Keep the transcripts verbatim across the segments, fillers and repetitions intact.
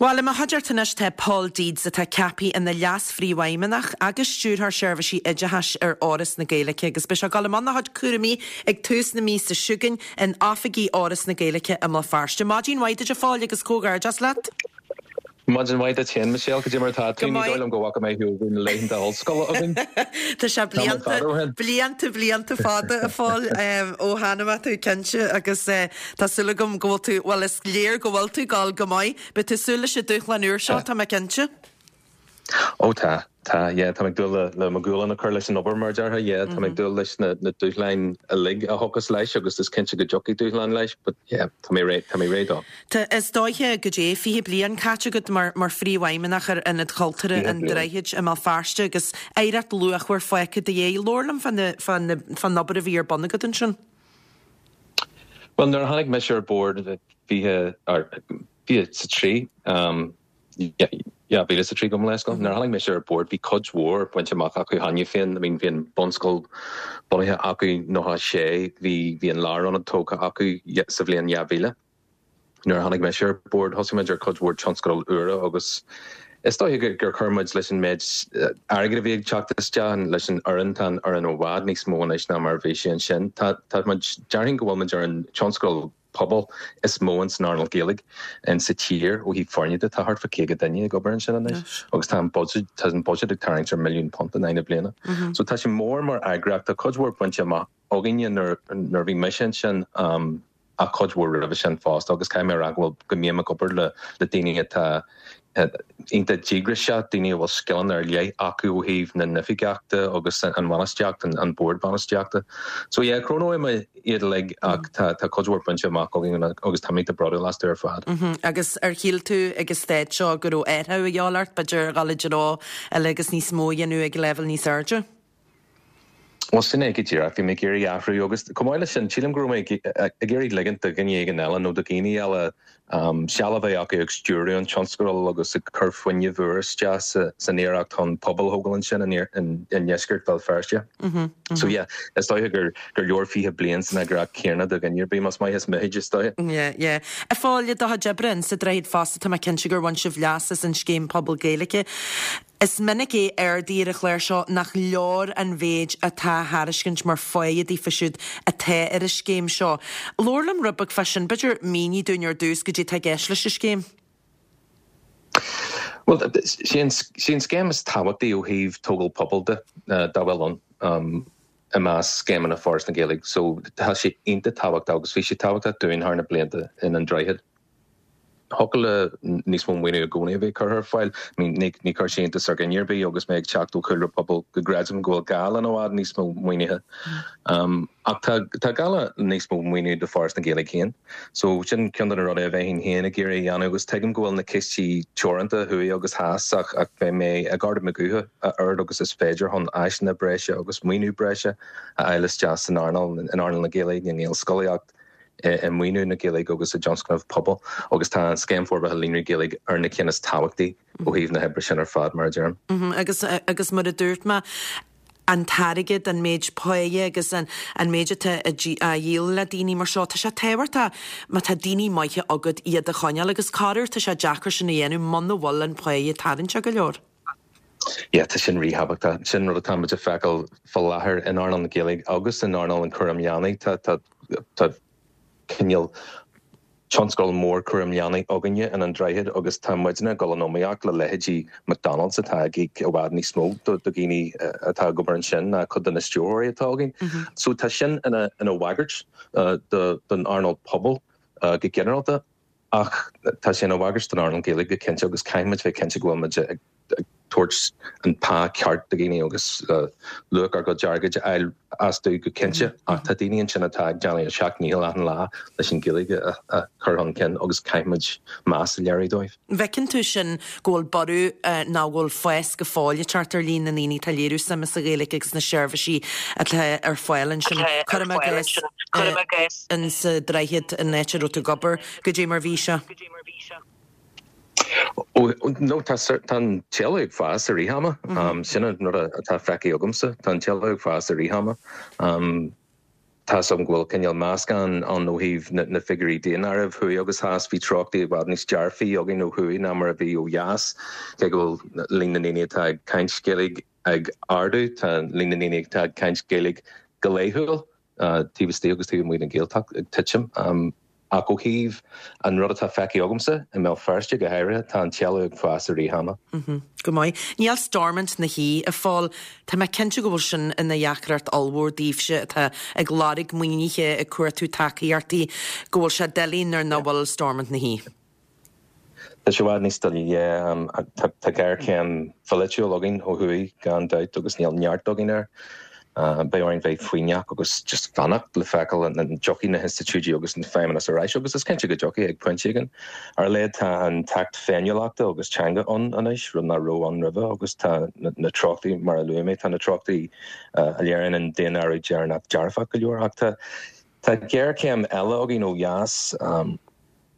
Bhuel, i mo chuideachta anois tá Paul Deeds atá ceaptha ina leas-phríomhfheidhmeannach agus stiúrthóir seirbhísí oideachais ar Fhoras na Gaeilge agus beidh sé ag dul i mbun a chuid cúraimí ag tús na míosa seo chugainn in oifigí Fhoras na Gaeilge i mBéal Feirste. Maidin mhaith duit a Phóil agus comhghairdeas leat. Maidin mhaith duit féin Michelle cad é mar atá tú ní dóigh liom go bhfaca mé thú na laethanta ollscoile againn. Tá sé blianta blianta blianta fada a Phóil ó chonaic mé tú cinnte agus eh, tá súil agam go bhfuil tú well is léir go bhfuil tú ag gabháil go maith, Beidh tú ag súil leis an dúshlán úr seo tá mé cinnte. Ó tá tá yeah, tá dúil le le mo ghualainn a chur leis an obair mar déarfá yeah, tá ag dúil leis na, na dúshláin uilig a thiocfas leis agus is cinnte go dtiocfaidh dúshlán leis, but yeah, tá mé réidh tá mé réidh dó. Tá is dóiche go dté fiche bliain caite agat mar mar phríomhfheidhmeannach ar Ionad Cultúrtha an Droichid i mBéal Feirste agus oidhreacht luachmhar fágtha i do dhiaidh labhair liom fán obair a bhí ar bun agat ansin. Well nuair a tháinig mise ar bord fiche fiche sa trí um, yeah, bhí sa trí go leis Nuair a tháinig mise ar bord bhí cuid mhór bainte amach acu cheana féin, I mean bhí an bunscoil bunaithe acu nócha sé bhí bhí an lárionad tógtha acu sa bhliain dhá mhíle. Nuair a tháinig mise ar bord thosaigh muid ar cuid mhór tionscadal úra agus is dóigh gur chuir muid leis an méid airgead a bhí ag teacht isteach leis an fhoireann tá an fhoireann i bhfad níos mó anois ná mar bhí sé ansin. Tá déarfainn go bhfuil muid ar an tionscadal pobal is mó in san earnáil Gaeilge in sa tír ó thaobh foirne de tá thart fá caoga duine ag obair ansin anois agus tá an budget tá an budget ag tarraingt ar milliún punt in aghaidh na bliana. So tá sé mór mar eagraíocht tá cuid mhór bainte amach againne nuair bhí mise ansin um, a cuid mhór roimhe sin fosta agus caithfidh mé rá go go mbím ag obair le le daoine atá iontach díograiseach daoine a bhfuil scileanna ar leith acu ó thaobh na n-oifigeachta agus an bhainistíocht an bord bainistíochta. So yeah, cronóidh mé iad uilig ach tá tá cuid mhór bainte amach againn agus tá mé bródúil astu ar fad. Agus ar shíl tú ag an staid seo go raibh athrú a dhíobháil ort b'fhéidir dul i dtreo eile agus níos mó a dhéanamh ag leibhéal níos airde? Well sin é go díreach bhí mé ag iarraidh athrú agus chomh maith leis sin sílim go raibh mé ag iarraidh ligint do dhuine éigin eile nó do dhaoine eile um, seal a bheith acu ag stiúradh an tionscadal agus ag cur fuinneamh úr isteach sa, san iarracht chun pobal a thógáil ansin in, in, in dheisceart Bhéal Feirste. Mm -hmm, mm -hmm. So yeah, is dóigh gur gur leor fiche bliain san eagraíocht chéanna do dhuine ar bith más maith is mithid is dóigh. Yeah, yeah. A Phóil i do chuid oibre sa Droichead fosta tá mé cinnte gur bhain sibh leas as an scéim pobal Gaeilge. Is minic é ardaí ar an chlár seo nach leor an mhéid atá á thairiscint mar phá daofa siúd atá ar an scéim seo. Labhair liom rud beag fá sin b'fhéidir mínigh dúinn ar dtús cad é atá i gceist leis an scéim. Well sí an scéim is tábhachtaí ó thaobh tógáil pobail de uh, dá bhfuil ann um, i measc scéimeanna Foras na Gaeilge, so tá sé iontach tábhachtach agus bhí sé tábhachtach dúinn thar na blianta in an Droichead. Thiocfadh le níos mó maoiniú i gcónaí a bheith curtha ar fáil ní ní chuir sé iontas ar dhuine ar bith agus mé ag teacht ó chúlra pobal go gcreidim go bhfuil gá le i bhfad níos mó maoinithe. Um, ach tá tá gá le níos mó maoiniú do Foras na Gaeilge féin. So sin ceann de na rudaí a bheinn féin ag iarraidh a dhéanamh agus tuigim go bhfuil na cistí teoranta thuaidh agus theas ach ach beidh mé ag ardú mo ghutha a oiread agus is féidir chun áiseanna breise agus maoiniú breise a fháil isteach san earnáil in earnáil na Gaeilge na nGaelscolaíocht i maoiniú na Gaeilge agus i dtionscnamh pobal agus tá an scéim forbartha líonraí Gaeilge ar na cinn is tábhachtaí ó thaobh na hoibre sin ar fad mar a deirim. Agus agus mar a dúirt mé an t-airgead an méid páighe agus an an méid atá a dhíol le daoine mar seo, Tá sé tábhachtach má tá daoine maithe agat iad a choinneáil agus corruair tá sé deacair sin a dhéanamh muna bhfuil an páighe tarraingteach go leor. Yeah, tá sin ríthábhachtach sin rud atá muid ag feiceáil faoi láthair in earnáil na Gaeilge agus in earnáil an chúram leanaí tá tá tá cineál tionscal mór cúram leanaí againne in an Droichead agus tá muidne ag dul in iomaíocht le leithéidí McDonald's atá ag íoc i bhfad níos mó do do dhaoine atá ag obair ansin ná cuid de na stiúrthóirí atá againn. So tá sin ina ina bhagairt uh, do don earnáil pobal uh, go ginearálta ach tá sé ina bhagairt don earnáil Gaeilge go cinnte agus caithfimid bheith cinnte go bhfuil muid ag ag tabhairt an pá ceart do dhaoine agus uh, luach ár gcuid airgid a fháil astu go cinnte ach tá daoine ansin atá ag déanamh a seacht ndícheall achan lá leis an Ghaeilge a, a chur chun cinn agus caithfimid meas a léiriú dóibh. Bhfeiceann tú sin go bhfuil borradh uh, ná go bhfuil fás go fóill ag teacht ar líon na ndaoine atá ag léiriú suime sa Ghaeilge agus na seirbhísí atá ar fáil ansin Cuirim i gcás in sa Droichead an áit a raibh tú ag obair cad é mar bhí sé. Ó no tá tá an t-éileamh ag fás i rith ama um, sin an rud atá feicthe agamsa tá an t-éileamh ag fás i rith ama um, Tá a fhios agam go bhfuil cineál meascán ann ó thaobh na figiúirí daonáirimh thuaidh agus theas. Bhí treochtaí i bhfad níos dearfaí againn ó thuaidh ná mar a bhí ó dheas. Cé go bhfuil líon na ndaoine atá ag caint Gaeilge ag ardú, tá líon na ndaoine atá ag caint Gaeilge go laethúil, taobh istigh agus taobh amuigh den Ghaeltacht, ag titim. Ach ó thaobh an rud atá feicthe agamsa, i mBéal Feirste go háirithe, tá an t-éileamh ag fás i rith ama. Go maith. Níl Stormont ina shuí, a Phóil. Tá mé cinnte go bhfuil sin ina dheacracht ollmhór daoibhse atá ag lorg maoinithe, ag cuartú tacaíochtaí, go bhfuil sé doiligh nuair nach bhfuil Stormont ina shuí. Tá sé i bhfad níos doiligh, yeah. Tá géarchéim pholaitiúil againn ó thuaidh gan dabht agus níl neart againn air. Beidh orainn bheith foighneach agus just fanacht le feiceáil an dtiocfaidh na hinstitiúidí agus an feidhmeannas ar ais agus is cinnte go dtiocfaidh ag pointe éigin. Ar a laghad tá an tAcht Féiniúlachta agus Teanga ann anois, rud nach raibh ann roimhe agus tá na treochtaí, mar a luaigh mé, tá na treochtaí a léiríonn an daonáireamh deireanach dearfach go leor ach tá tá géarchéim eile againn ó dheas.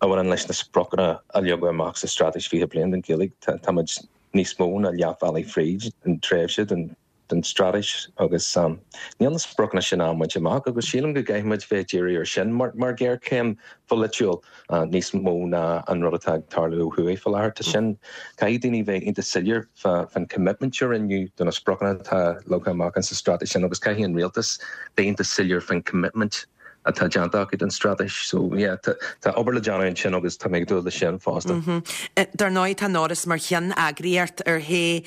a bhaineann leis na spriocanna a leagadh amach sa Straitéis fiche Bliain don Ghaeilge. Tá muid níos mó ná leath bealaigh fríd an tréimhse den den straitéis agus níl na spriocanna sin á mbaint amach agus sílim go gcaithfidh muid bheith ag díriú ar sin mar mar ghéarchéim pholaitiúil níos mó ná an rud atá ag tarlú ó thuaidh faoi láthair. Tá sin, caithfidh daoine bheith iontach soiléir fán commitment a rinneadh do na spriocanna atá leagtha amach sa straitéis sin agus caithfidh an rialtas bheith iontach soiléir fán commitment atá déanta acu don straitéis. So yeah, tá tá obair le déanamh ansin agus tá mé ag dúil leis sin fosta. Dar ndóigh tá an Fhoras mar cheanneagraíocht ar shé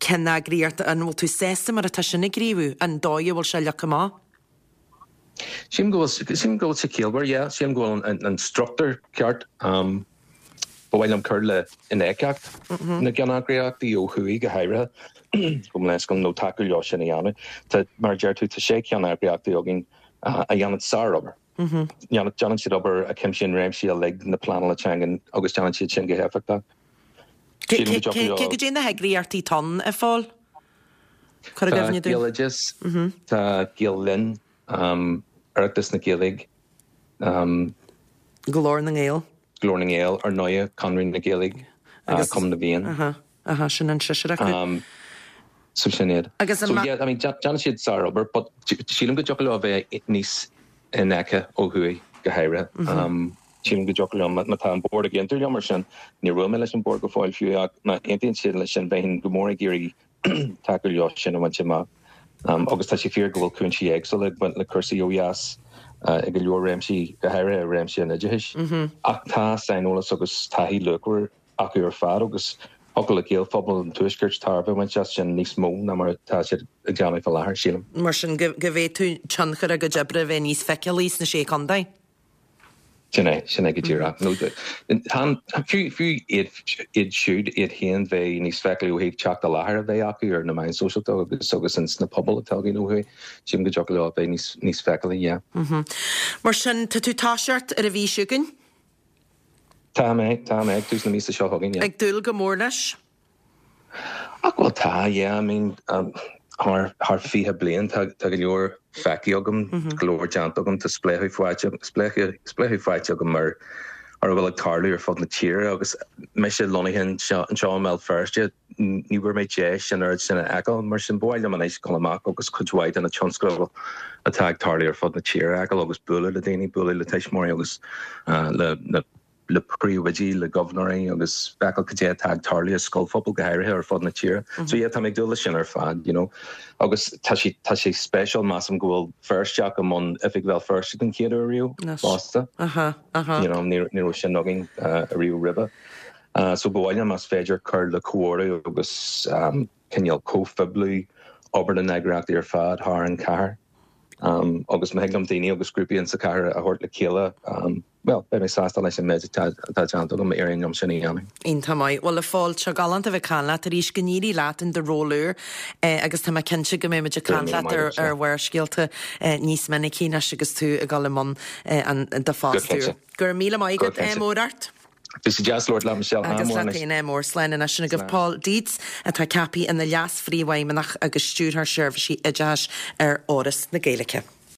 ceanneagraíocht, an bhfuil tú sásta mar atá sin ag gníomhú, an dóigh a bhfuil sé leagtha amach? Sílim go bhfuil sílim go bhfuil sé ciallmhar, yeah, sílim go bhfuil an an struchtúr ceart. Um, ba mhaith liom cur le infheictheacht na gceanneagraíochtaí ó thuaidh go háirithe, gabh mo leithscéal, nó tacú leo sin a dhéanamh. Tá, mar a deir tú, tá sé ceanneagraíochtaí againn a dhéanann sárobair. Déanann siad obair a chuimsíonn réimsí uilig na pleanála teangan agus déanann siad sin go héifeachtach. Cé go dté na heagraíochtaí atá ann, a Phóil? Cuir i Tá gcuimhne dúinn. Gaeloideas, tá Gael Linn, Oireachtas na Gaeilge, Glór na nGael. Glór na nGael, ar ndóigh, Conradh na Gaeilge, Cumann na bhFiann. Aha, aha, sin an seisear acu. So sin iad. Agus an So yeah, I mean, déanann siad sárobair, but sílim go dtiocfadh leo a bheith níos infheicthe ó thuaidh, go háirithe. Sílim go dtiocfadh leo, má tá an bord ag aontú liom ar sin, níor bhuail mé leis an bord go fóill fiú, ach má aontaíonn siad leis sin, bheinn go mór ag iarraidh tacú leo sin a bhaint amach. Agus tá sé fíor go bhfuil cúinsí éagsúla ag baint le cúrsaí ó dheas i go leor réimsí, go háirithe i réimse an oideachais. Ach tá saineolas agus taithí luachmhar acu ar fad agus thiocfadh le Gaelphobal an Tuaiscirt tairbhe a bhaint as sin níos mó ná mar atá siad ag déanamh faoi láthair, sílim. Mar sin, go bhféadfadh tionchar a gcuid oibre a bheith níos feiceálaí sna Sé Chontae. Sin é, sin é go díreach. Nó fiú, fiú iad, iad siúd, iad féin bheith níos feiceálaí ó thaobh teacht i láthair a bheith acu ar na meáin sóisialta agus, agus ins na pobail atá againn ó thuaidh. Sílim go dtiocfadh leo a bheith níos, níos feiceálaí, yeah. Mar sin, tá tú ag toiseacht ar an mhí seo chugainn? Tá mé, tá mé, ag tús na míosa seo chugainn, yeah. Ag dúil go mór leis? Ach bhuel tá, yeah, I mean, um, thar, thar fiche bliain tá, tá go leor feicthe agam, go leor déanta agam, tá spléachadh faighte, spléachadh, spléachadh faighte agam ar, ar a bhfuil ag tarlú ar fud na tíre agus mise lonnaithe anseo, anseo i mBéal Feirste, ní bhfuair mé deis an oiread sin a fheiceáil, mar sin ba mhaith liom anois dul amach agus cuid mhaith de na tionscadail atá ag tarlú ar fud na tíre a fheiceáil agus bualadh le daoine, bualadh le tuismitheoirí agus uh, le, le le príomhoidí, le gobharnóirí agus feiceáil cad é atá ag tarlú i scoilphobail go háirithe ar fud na tíre. So yeah, tá mé ag dúil leis sin ar fad, you know. Agus tá sé tá sé speisialta measaim go bhfuil Feirsteach i mbun Oifig Bhéal Feirste den chéad uair riamh fosta. Aha, aha. You know, ní ní raibh sin againn uh, riamh roimhe. Uh, so ba mhaith liom más féidir cur le comhordú agus um, cineál comhphoibliú obair na n-eagraíochtaí ar fad thar an chathair. Um, agus má thig liom daoine agus grúpaí in sa chathair a thabhairt le chéile, um, well, beidh mé sásta leis an méid atá atá déanta agam éiríonn liom sin a dhéanamh. Iontach maith. Bhuel a Phóil, tá sé galánta a bheith ag caint leat arís, go n-éirí leat in do ról úr eh, agus tá mé cinnte go mbeidh muid ag caint leat ar, ar Bharrscéalta eh, níos minicí anois agus tú ag dul i mbun eh, an do phost úr. Go raibh míle maith agat, eh, mór ort. Bhí sé deas labhairt leat Michelle. Agus leat féin ádh mór slán anois sin agaibh Paul Deeds atá ceaptha ina leas-phríomhfheidhmeannach agus stiúrthóir seirbhísí oideachais ar Fhoras na Gaeilge.